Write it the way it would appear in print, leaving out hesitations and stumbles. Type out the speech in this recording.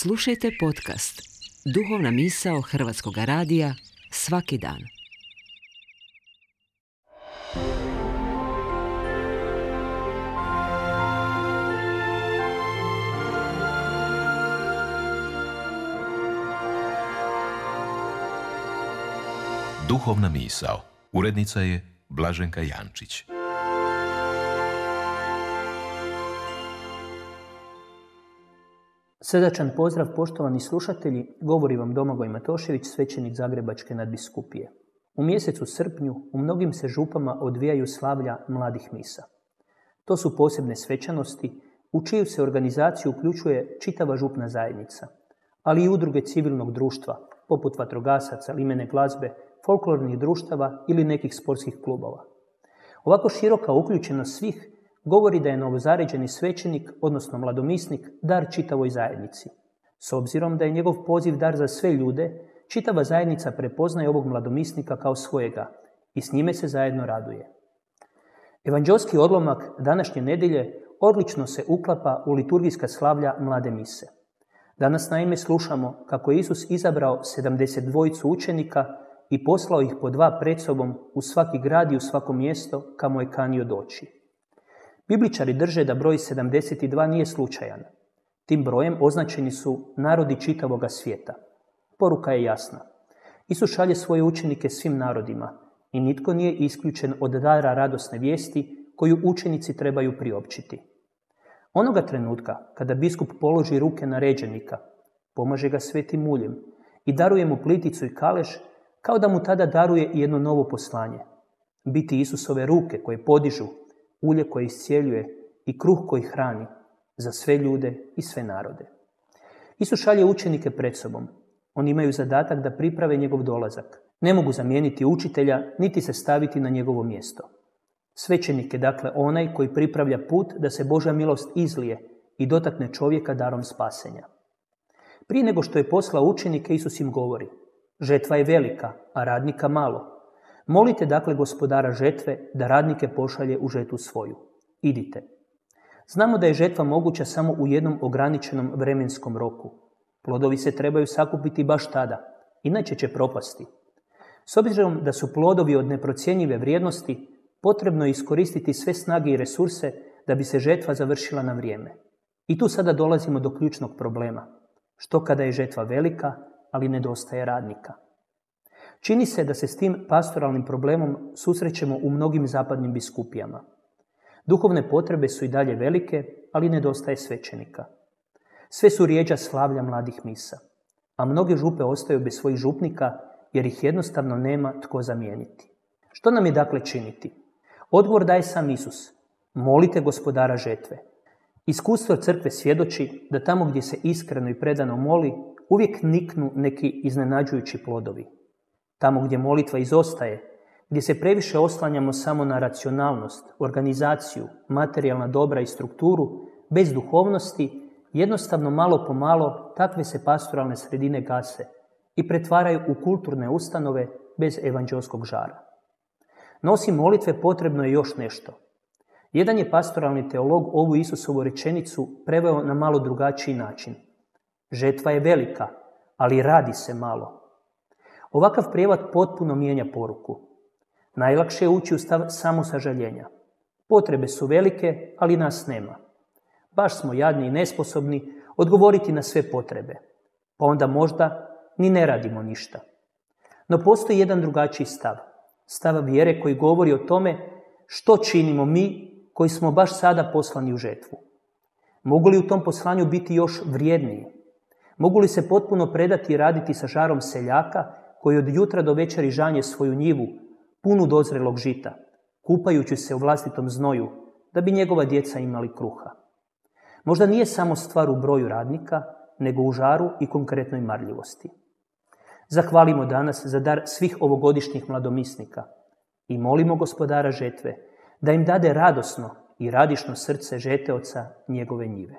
Slušajte podcast Duhovna misao Hrvatskog radija svaki dan. Duhovna misao. Urednica je Blaženka Jančić. Srdačan pozdrav, poštovani slušatelji, govori vam Domagoj Matošević, svećenik Zagrebačke nadbiskupije. U mjesecu srpnju u mnogim se župama odvijaju slavlja mladih misa. To su posebne svečanosti u čiju se organizaciju uključuje čitava župna zajednica, ali i udruge civilnog društva, poput vatrogasaca, limene glazbe, folklornih društava ili nekih sportskih klubova. Ovako široka uključenost svih govori da je novozaređeni svećenik, odnosno mladomisnik, dar čitavoj zajednici. S obzirom da je njegov poziv dar za sve ljude, čitava zajednica prepoznaje ovog mladomisnika kao svojega i s njime se zajedno raduje. Evanđelski odlomak današnje nedjelje odlično se uklapa u liturgijska slavlja mlade mise. Danas naime slušamo kako je Isus izabrao 72 učenika i poslao ih po 2 pred sobom u svaki grad i u svako mjesto kamo je kanio doći. Bibličari drže da broj 72 nije slučajan. Tim brojem označeni su narodi čitavoga svijeta. Poruka je jasna. Isus šalje svoje učenike svim narodima i nitko nije isključen od dara radosne vijesti koju učenici trebaju priopćiti. Onoga trenutka kada biskup položi ruke na ređenika, pomaže ga svetim muljem i daruje mu pliticu i kalež, kao da mu tada daruje jedno novo poslanje. Biti Isusove ruke koje podižu, ulje koje iscijeljuje i kruh koji hrani za sve ljude i sve narode. Isus šalje učenike pred sobom. Oni imaju zadatak da priprave njegov dolazak. Ne mogu zamijeniti učitelja niti se staviti na njegovo mjesto. Svećenik je dakle onaj koji pripravlja put da se Božja milost izlije i dotakne čovjeka darom spasenja. Prije nego što je poslao učenike, Isus im govori: žetva je velika, a radnika malo. Molite dakle gospodara žetve da radnike pošalje u žetvu svoju. Idite. Znamo da je žetva moguća samo u jednom ograničenom vremenskom roku. Plodovi se trebaju sakupiti baš tada, inače će propasti. S obzirom da su plodovi od neprocjenjive vrijednosti, potrebno je iskoristiti sve snage i resurse da bi se žetva završila na vrijeme. I tu sada dolazimo do ključnog problema. Što kada je žetva velika, ali nedostaje radnika? Čini se da se s tim pastoralnim problemom susrećemo u mnogim zapadnim biskupijama. Duhovne potrebe su i dalje velike, ali nedostaje svećenika. Sve su rjeđa slavlja mladih misa, a mnoge župe ostaju bez svojih župnika jer ih jednostavno nema tko zamijeniti. Što nam je dakle činiti? Odgovor daje sam Isus. Molite gospodara žetve. Iskustvo crkve svjedoči da tamo gdje se iskreno i predano moli, uvijek niknu neki iznenađujući plodovi. Tamo gdje molitva izostaje, gdje se previše oslanjamo samo na racionalnost, organizaciju, materijalna dobra i strukturu, bez duhovnosti, jednostavno malo po malo takve se pastoralne sredine gase i pretvaraju u kulturne ustanove bez evanđelskog žara. No osim molitve potrebno je još nešto. Jedan je pastoralni teolog ovu Isusovu rečenicu preveo na malo drugačiji način. Žetva je velika, ali radi se malo. Ovakav prijevod potpuno mijenja poruku. Najlakše je ući u stav samosažaljenja. Potrebe su velike, ali nas nema. Baš smo jadni i nesposobni odgovoriti na sve potrebe. Pa onda možda ni ne radimo ništa. No postoji jedan drugačiji stav. Stav vjere koji govori o tome što činimo mi koji smo baš sada poslani u žetvu. Mogu li u tom poslanju biti još vrijedniji? Mogu li se potpuno predati i raditi sa žarom seljaka koji od jutra do večeri žanje svoju njivu, punu dozrelog žita, kupajući se u vlastitom znoju, da bi njegova djeca imali kruha? Možda nije samo stvar u broju radnika, nego u žaru i konkretnoj marljivosti. Zahvalimo danas za dar svih ovogodišnjih mladomisnika i molimo gospodara žetve da im dade radosno i radišno srce žeteoca njegove njive.